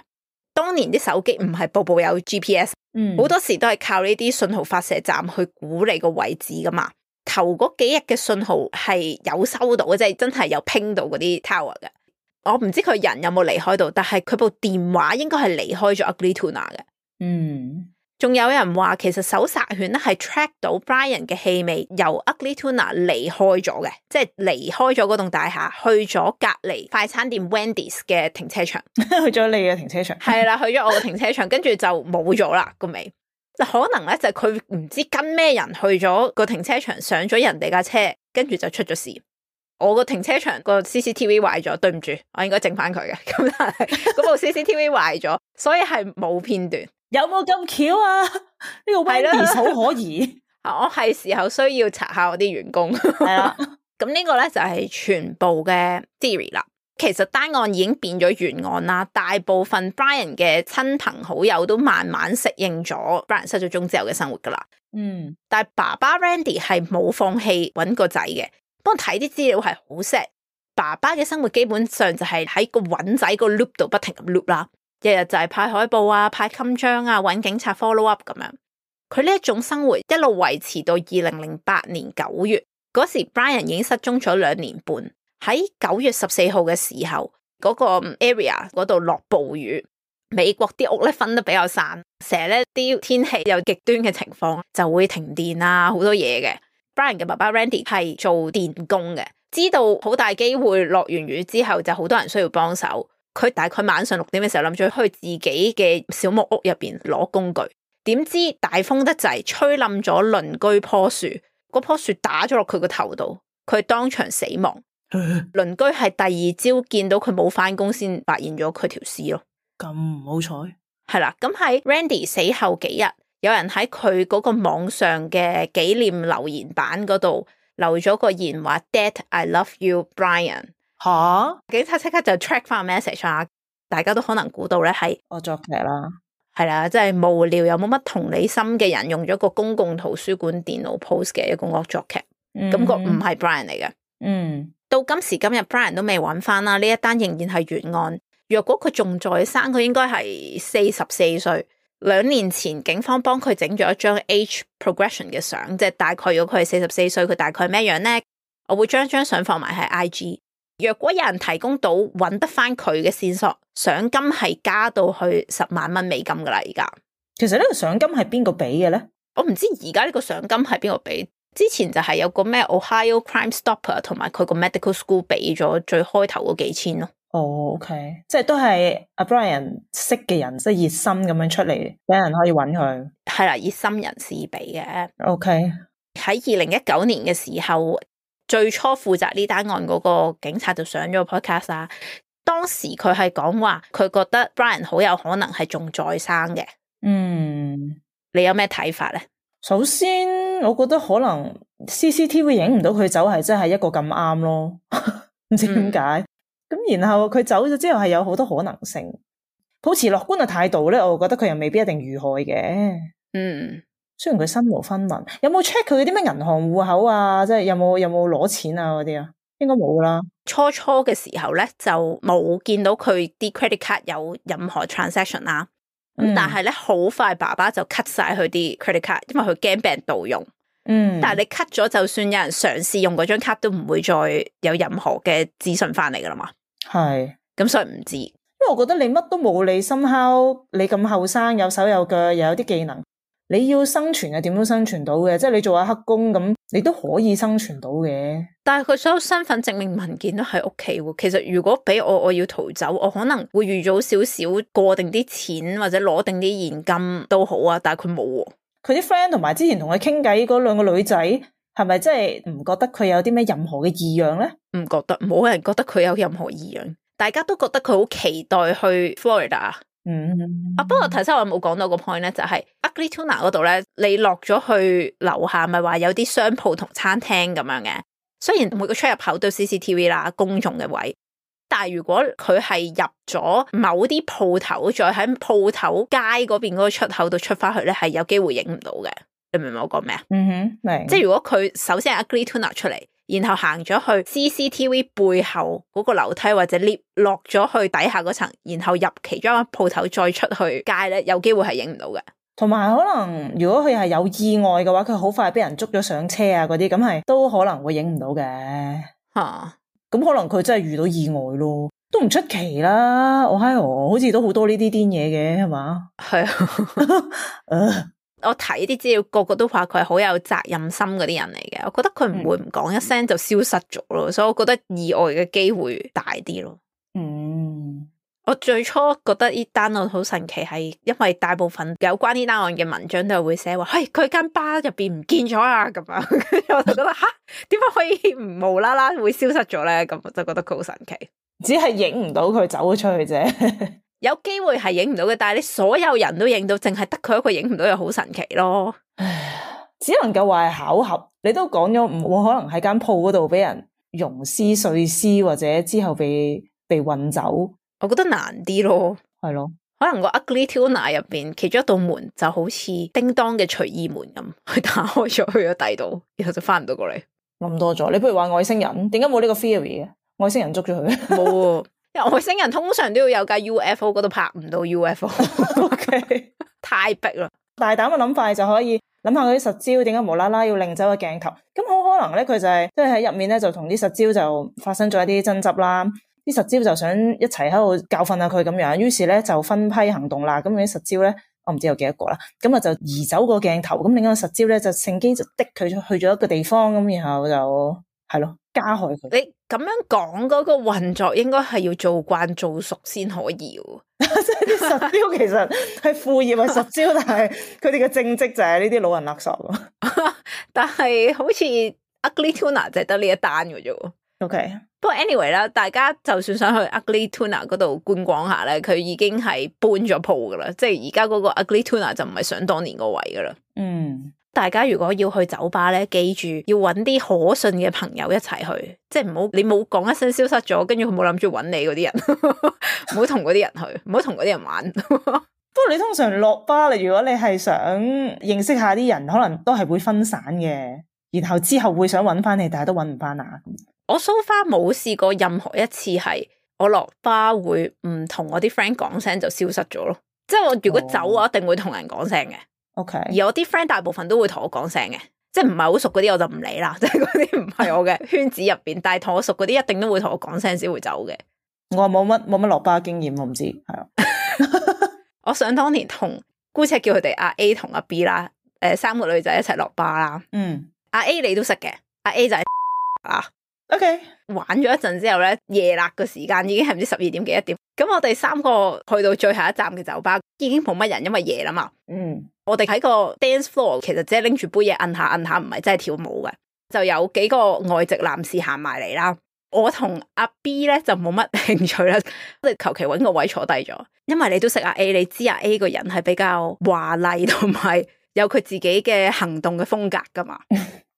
當年啲手機唔係部部有 G P S， 嗯，好多時都係靠呢啲信號發射站去估你個位置噶嘛。頭嗰幾日嘅信號係有收到嘅，即係真係有拼到嗰啲 tower 嘅。我唔知佢人有冇離開到，但係佢部電話應該係離開咗 Ugly Tuna 嘅。嗯，仲有人話其實搜殺犬咧係 track 到 Brian 嘅氣味由 Ugly Tuna 離開咗嘅，即係離開咗嗰棟大廈，去咗隔離快餐店 Wendy's 嘅停車場。去咗你嘅停車場。係啦，去咗我嘅停車場，跟住就冇咗啦個味。可能咧就係佢唔知跟咩人去咗個停車場，上咗人哋架車，跟住就出咗事。我個停車場個 C C T V 壞咗，對唔住，我應該整翻佢嘅。咁但係嗰部 C C T V 壞咗，所以係冇片段。有冇咁巧啊？呢、這個 Wendy's 好可疑。我係時候需要查下我啲員工。係啦，咁呢個咧就係全部嘅 theory 啦。其實單案已經變咗懸案啦，大部分 Brian 嘅親朋好友都慢慢適應咗 Brian 失咗蹤之後嘅生活噶啦。嗯，但係爸爸 Randy 係冇放棄搵個仔嘅。幫我睇啲資料係好 sad，爸爸嘅生活基本上就係喺個搵仔個 loop 度不停咁 loop 啦，日日就係派海報啊、派襟章啊、搵警察 follow up 咁樣。佢呢一種生活一路維持到二零零八年九月，嗰時 Brian 已經失蹤咗兩年半。喺九月十四號嘅時候，嗰、那個 area 嗰度落暴雨，美國啲屋咧分得比較散，成日咧啲天氣有極端嘅情況，就會停電啊，好多嘢嘅。Brian 嘅爸爸 Randy 係做電工嘅，知道好大機會落完雨之後就好多人需要幫手。佢大概晚上六點嘅時候諗住去自己嘅小木屋入邊攞工具，點知大風得滯，吹冧咗鄰居棵樹，嗰棵樹打咗落佢個頭度，佢當場死亡。鄰居係第二朝見到佢冇返工先發現咗佢條屍咯。咁唔好彩。係啦，咁喺 Randy 死後幾日，有人喺佢嗰個網上嘅紀念留言板嗰度留咗個言話 Dad I love you Brian。 吓，警察即刻就 track 翻 message 啊，大家都可能估到咧係惡作劇啦。係啦，即係無聊又冇乜同理心嘅人用咗個公共圖書館電腦 post 嘅一個惡作劇，咁、嗯、個唔係 Brian 嚟嘅。嗯，到今時今日 Brian 都未揾翻啦，呢一單仍然係懸案。若果佢仲在生，佢應該係四十四歲。兩年前警方幫佢整咗一張 age progression 嘅相，即係大概如果佢係四十四歲，佢大概咩樣呢？我會將張相放埋喺 I G。若果有人提供到揾得翻佢嘅線索，賞金係加到去十萬蚊美金噶啦。而家其實呢個賞金係邊個俾嘅咧？我唔知而家呢個賞金係邊個俾。之前就係有個咩 Ohio Crime Stopper 同埋佢個 medical school 俾咗最開頭嗰幾千咯。哦、oh，OK， 即係都係阿 Brian 識嘅人，即係熱心咁樣出嚟，俾人可以揾佢。係啦，熱心人士俾嘅。OK，喺二零一九年嘅時候，最初負責呢單案嗰個警察就上咗個 podcast 啊。當時佢係講話，佢覺得 Brian 好有可能係仲在生嘅。嗯，你有咩睇法咧？首先，我覺得可能 C C T V 影唔到佢走係真係一個咁啱咯，唔知點解。嗯咁然後佢走咗之後係有好多可能性，抱持樂觀嘅態度咧，我覺得佢又未必一定遇害嘅。嗯，雖然佢身無分文，有冇 check 佢嗰啲咩銀行戶口啊？即係有冇有冇攞錢啊嗰啲啊？應該冇啦。初初嘅時候咧就冇見到佢啲 credit card 有任何 transaction 啦。咁、嗯、但係咧好快爸爸就 cut 晒佢啲 credit card，因為佢驚俾人盜用。嗯，但係你 cut 咗，就算有人嘗試用嗰張卡，都唔會再有任何嘅資訊翻嚟噶啦嘛。係，咁所以唔知，因為我覺得你乜都冇，你 somehow你咁後生，有手有腳，又有啲技能，你要生存係點都生存到嘅，即係你做下黑工咁，你都可以生存到嘅。但係佢所有身份證明文件都喺屋企喎。其實如果俾我，我要逃走，我可能會預早少少過定啲錢或者攞定啲現金都好啊。但係佢冇喎。佢啲 friend 同埋之前同佢傾偈嗰兩個女仔，係咪真係唔覺得佢有啲咩任何嘅異樣咧？唔覺得，冇人覺得佢有任何異樣，大家都覺得佢好期待去 Florida。嗯，啊，不過頭先我冇講到個 point 咧，就係 Ugly Tuna 嗰度咧，你落咗去樓下咪話有啲商鋪同餐廳咁樣嘅，雖然每個出入口都 C C T V 啦，公眾嘅位，但係如果佢係入咗某啲鋪頭，再喺鋪頭街嗰邊嗰個出口度出翻去咧，係有機會影唔到嘅。你明唔明我講咩啊？嗯哼，明。即係如果佢首先係 Ugly Tuna 出嚟，然後行咗去 C C T V 背後嗰個樓梯或者 lift 落咗去底下嗰層，然後入其中一間鋪頭再出去街咧，有機會係影唔到嘅。同埋可能如果佢係有意外嘅話，佢好快俾人捉咗上車啊嗰啲，咁係都可能會影唔到嘅。吓、啊，咁可能佢真係遇到意外咯，都唔出奇啦。我喺我好似都好多呢啲癲嘢嘅，係嘛？係啊。我睇啲資料，個個都話佢係好有責任心嗰啲人嚟嘅。我覺得佢唔會唔講一聲就消失咗咯，嗯、所以我覺得意外嘅機會大啲咯。嗯，我最初覺得呢單案好神奇，係因為大部分有關呢單案嘅文章都係會寫話，嘿，佢間巴入邊唔見咗啊咁樣，跟住我就覺得吓，點解可以唔無啦啦會消失咗咧？咁我就覺得佢好神奇，只係影唔到佢走咗出去啫。有機會係影唔到嘅，但係你所有人都影到，淨係得佢一個影唔到，又好神奇咯。只能夠話係巧合。你都講咗唔可能喺間鋪嗰度俾人溶屍碎屍，或者之後被被運走。我覺得難啲咯，係咯，可能個 Ugly Tuna 入邊其中一道門就好似叮當嘅隨意門咁，佢打開咗去咗第度，然後就翻唔到過嚟。諗多咗，你不如話外星人，點解冇呢個 theory 嘅？外星人捉咗佢？冇。因為外星人通常都要有架 U F O， 嗰度拍唔到 U F O。OK， 太逼啦。大膽嘅諗法就可以諗下嗰啲實招點解無啦啦要擰走個鏡頭，咁好可能咧佢就係即係喺入面咧就同啲實招就發生咗一啲爭執啦，啲實招就想一齊喺度教訓下佢咁樣，於是咧就分批行動啦。咁啲實招咧我唔知有幾多個啦，咁啊就移走個鏡頭，咁另一個實招咧就乘機就的佢去咗一個地方，咁然後就係咯加害佢。你咁樣講嗰個運作應該係要做慣做熟先可以，即係啲實招其實係副業係實招，但係佢哋嘅正職就係呢啲老人勒索。但係好似 Ugly Tuna 就係得呢一單嘅啫。OK， 不過 anyway 啦，大家就算想去 Ugly Tuna 嗰度觀光下咧，佢已經係搬咗鋪噶啦，即係而家嗰個 Ugly Tuna 就唔係想當年個位噶啦。嗯。大家如果要去酒吧咧，記住要揾啲可信嘅朋友一齊去，即係唔好你冇講一聲消失咗，跟住佢冇諗住揾你嗰啲人，唔好同嗰啲人去，唔好同嗰啲人玩。不過你通常落巴，你如果你係想認識下啲人，可能都係會分散嘅，然後之後會想揾翻你，但係都揾唔翻啊。我 so far 冇試過任何一次係我落巴會唔同我啲 friend 講聲就消失咗咯，即係我如果走我一定會同人講聲嘅。OK，而我啲 friend 大部分都會同我講聲嘅，即係唔係好熟嗰啲我就唔理啦，即係嗰啲唔係我嘅圈子入邊，但係同我熟嗰啲一定都會同我講聲先會走嘅。我冇乜冇乜落巴經驗，我唔知係啊。我想當年同姑且叫佢哋阿 A 同阿 B 啦，誒三個女仔一齊落巴啦。嗯，阿 A 你都識嘅，阿 A 就係啊。OK， 玩咗一陣之後咧，夜辣個時間已經係唔知十二點幾一點，咁我哋三個去到最後一站嘅酒吧，已經冇乜人，因為夜啦嘛。嗯，我哋喺個 dance floor， 其實只係拎住杯嘢摁下摁下，唔係真係跳舞嘅。就有幾個外籍男士行埋嚟啦，我同阿 B 咧就冇乜興趣啦，我哋求其搵個位坐低咗。因為你都識阿 A， 你知阿 A 個人係比較華麗同埋有佢自己嘅行動嘅風格噶嘛。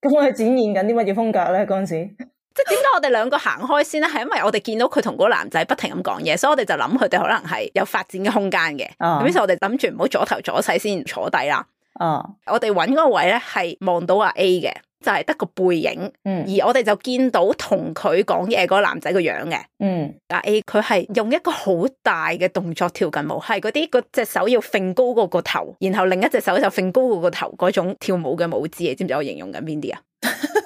咁我係展現緊啲乜嘢風格咧？嗰陣時。即係點解我哋兩個行開先咧？係因為我哋見到佢同嗰個男仔不停咁講嘢，所以我哋就諗佢哋可能係有發展嘅空間嘅。咁於是我哋諗住唔好阻頭阻勢先坐低啦。哦，我哋揾嗰個位咧係望到阿 A 嘅，就係得個背影。嗯，而我哋就見到同佢講嘢嗰個男仔個樣嘅。嗯，阿 A 佢係用一個好大嘅動作跳緊舞，係嗰啲嗰隻手要揈高過個頭，然後另一隻手就揈高過個頭嗰種跳舞嘅舞姿。你知唔知我形容緊邊啲啊？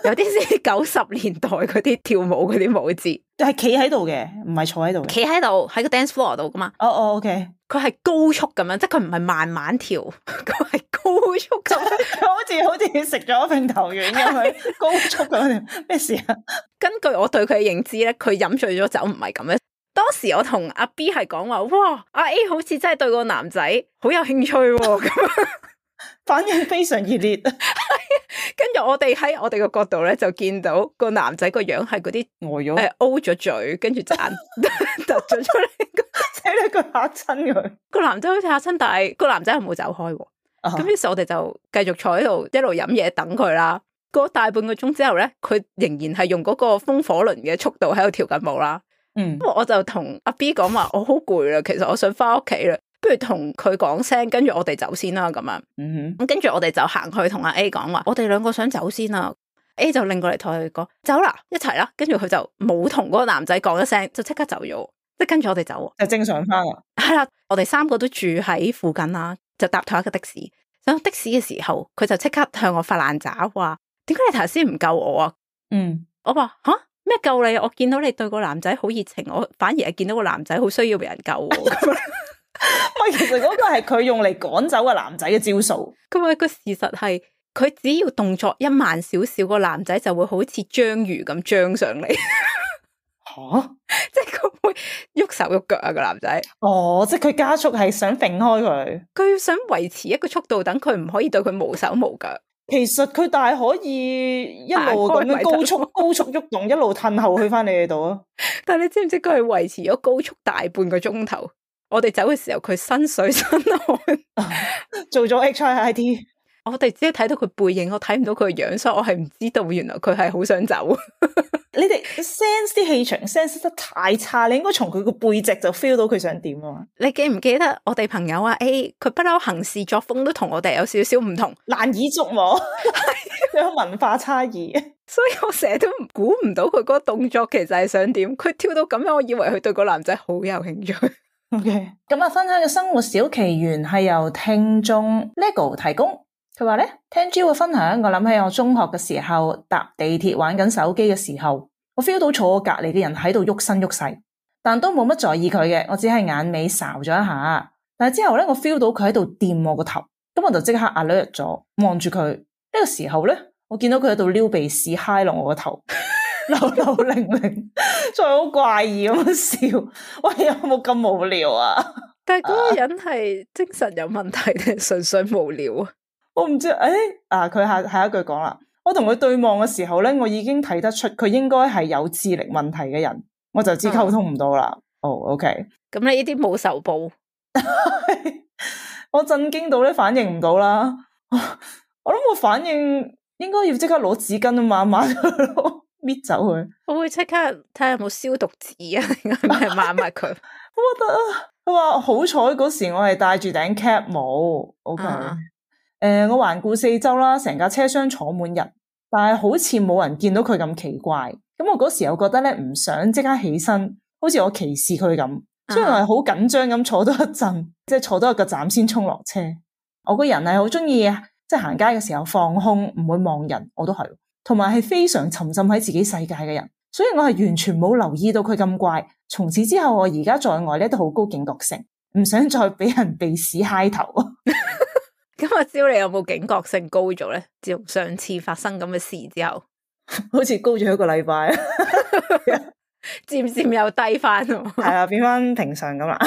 有啲似九十年代嗰啲跳舞嗰啲舞姿，係企喺度嘅，唔係坐喺度嘅。企喺度喺個 dance floor 度噶嘛？哦哦，OK。佢係高速咁樣，即係佢唔係慢慢跳，佢係高速咁樣，佢好似好似食咗揈頭丸咁樣，高速咁樣。咩事啊？根據我對佢嘅認知咧，佢飲醉咗酒唔係咁樣。當時我同阿 B 係講話，哇，阿 A 好似真係對個男仔好有興趣咁樣。反應非常熱烈，跟住我哋喺我哋個角度咧，就見到個男仔個樣係嗰啲呆咗，誒 O 咗嘴，跟住就眼突咗出嚟，死你佢嚇親佢。個男仔好似嚇親，但係個男仔係冇走開喎。咁於是我哋就繼續坐喺度一路飲嘢等佢啦。過大半個鐘之後咧，佢仍然係用嗰個風火輪嘅速度喺度跳緊舞啦。嗯，我就同阿 B 講話，我好攰啦，其實我想翻屋企啦，不如同佢講聲，跟住我哋走先啦咁樣。嗯哼，咁跟住我哋就行去同阿 A 講話，我哋兩個想走先啦。A 就擰過嚟同佢講走啦，一齊啦。跟住佢就冇同嗰個男仔講一聲，就即刻走咗，即係跟住我哋走。就正常翻啦。係啦，我哋三個都住喺附近啦，就搭同一個的士。上的士嘅時候，佢就即刻向我發爛渣，話點解你頭先唔救我啊？嗯，我話吓咩救你？我見到你對個男仔好熱情，我反而係見到個男仔好需要俾人救。咪其實嗰個係佢用嚟趕走個男仔嘅招數。咁啊，個事實係佢只要動作一慢少少，個男仔就會好似章魚咁張上嚟。吓、啊，即係佢會喐手喐腳啊！個男仔，哦，即係佢加速係想揈開佢，佢想維持一個速度，等佢唔可以對佢無手無腳。其實佢大可以一路咁樣高速高速喐動，一路褪後去翻你哋度啊！但係你知唔知佢係維持咗高速大半個鐘頭？我哋走嘅時候，佢身水身汗，做咗 H I I T。我哋只係睇到佢背影，我睇唔到佢嘅樣，所以我係唔知道原來佢係好想走。你哋 sense 啲氣場 sense 得太差，你應該從佢個背脊就 feel 到佢想點啊！你記唔記得我哋朋友啊 A， 佢不嬲行事作風都同我哋有少少唔同，難以捉摸，有文化差異。所以我成日都估唔到佢嗰個動作其實係想點。佢跳到咁樣，我以為佢對個男仔好有興趣。OK， 咁啊，分享嘅生活小奇緣係由聽眾 Lego 提供。佢話咧，聽 Jill 嘅分享，我諗起我中學嘅時候搭地鐵玩緊手機嘅時候，我 feel 到坐我隔籬嘅人喺度喐身喐勢，但都冇乜在意佢嘅，我只係眼尾睄咗一下。但係之後咧，我 feel 到佢喺度掂我個頭，咁我就即刻 alert 咗，望住佢。呢個時候咧，我見到佢喺度撩鼻屎揩落我個頭，流流零零，再好怪異咁樣笑。喂，有冇咁無聊啊？但係嗰個人係精神有問題定係純粹無聊啊？我唔知，誒、哎，啊，佢下下一句講啦，我同佢對望嘅時候咧，我已經睇得出佢應該係有智力問題嘅人，我就知溝通唔到啦。哦、oh,，OK，咁你呢啲冇仇報，我震驚到咧，反應唔到啦。我諗我反應應該要即刻攞紙巾啊，抹抹佢咯，搣走佢。我會即刻睇下有冇消毒紙啊，定係咪抹抹佢？我覺得啊，佢話好彩嗰時我係戴住頂 cap 帽 ，OK。Uh. 誒、呃，我環顧四周啦，成架車廂坐滿人，但係好似冇人見到佢咁奇怪。咁我嗰時又覺得咧，唔想即刻起身，好似我歧視佢咁，所以我係好緊張咁坐多一陣，即係坐多一個站先衝落車。我個人係好中意即係行街嘅時候放空，唔會望人，我都係，同埋係非常沉浸喺自己世界嘅人，所以我係完全冇留意到佢咁怪。從此之後，我而家在外咧都好高警覺性，唔想再俾人鼻屎揩頭。咁阿蕉，你有冇警覺性高咗咧？自從上次發生咁嘅事之後，好似高咗一個禮拜，漸漸又低翻，係啊，變翻平常咁啦。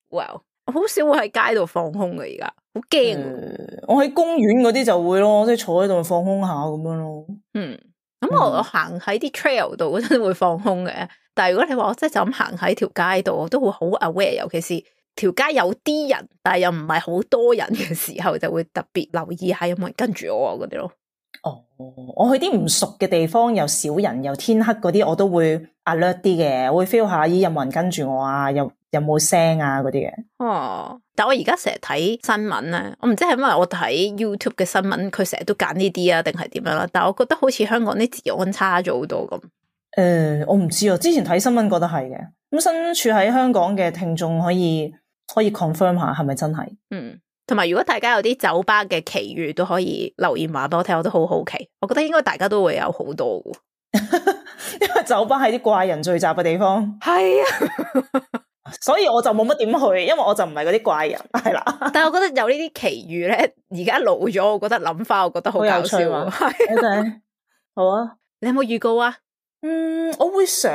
Well，我好少會喺街度放空嘅，而家好驚。我喺公園嗰啲就會咯，即係坐喺度放空下咁樣咯。嗯，咁我我行喺啲 trail 度嗰陣會放空嘅，但係如果你話我真係就咁行喺條街度，我都會好 aware，尤其是條街有啲人，但係又唔係好多人嘅時候，就會特別留意下有冇人跟住我嗰啲咯。哦，我去啲唔熟嘅地方，又少人又天黑嗰啲，我都會 alert 啲嘅，我會 feel 下咦有冇人跟住我啊，有有冇聲啊嗰啲嘅。哦，但係我而家成日睇新聞咧，我唔知係因為我睇 YouTube 嘅新聞，佢成日都揀呢啲啊，定係點樣啦？但係我覺得好似香港啲治安差咗好多咁。誒、呃，我唔知啊，之前睇新聞覺得係嘅。咁身處喺香港嘅聽眾可以。可以 confirm 下係咪真係？嗯，同埋如果大家有啲酒吧嘅奇遇都可以留言話俾我聽，我都好好奇。我覺得應該大家都會有好多嘅，因為酒吧係啲怪人聚集嘅地方。係啊，所以我就冇乜點去，因為我就唔係嗰啲怪人，係啦。但係我覺得有呢啲奇遇咧，而家老咗，我覺得諗翻，我覺得好搞笑。係，OK，好啊。你有冇預告啊？嗯，我會想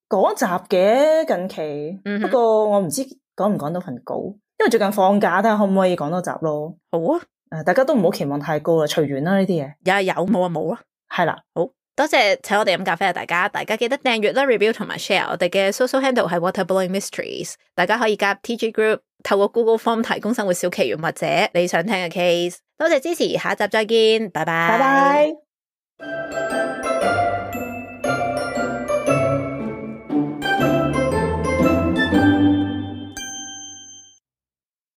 講集嘅近期，嗯、不過我唔知。講唔講到份稿？因為最近放假，睇下可唔可以講多集咯。好啊，誒，大家都唔好期望太高啦，隨緣啦呢啲嘢。有啊有，冇啊冇啊。係啦，好多謝請我哋飲咖啡啊！大家，大家記得訂閱啦、review 同埋 share。我哋嘅 social handle 係 Water Blowing Mysteries， 大家可以加入 T G Group， 透過 Google Form 提供生活小奇緣或者你想聽嘅 case。多謝支持，下一集再見，拜拜。拜拜。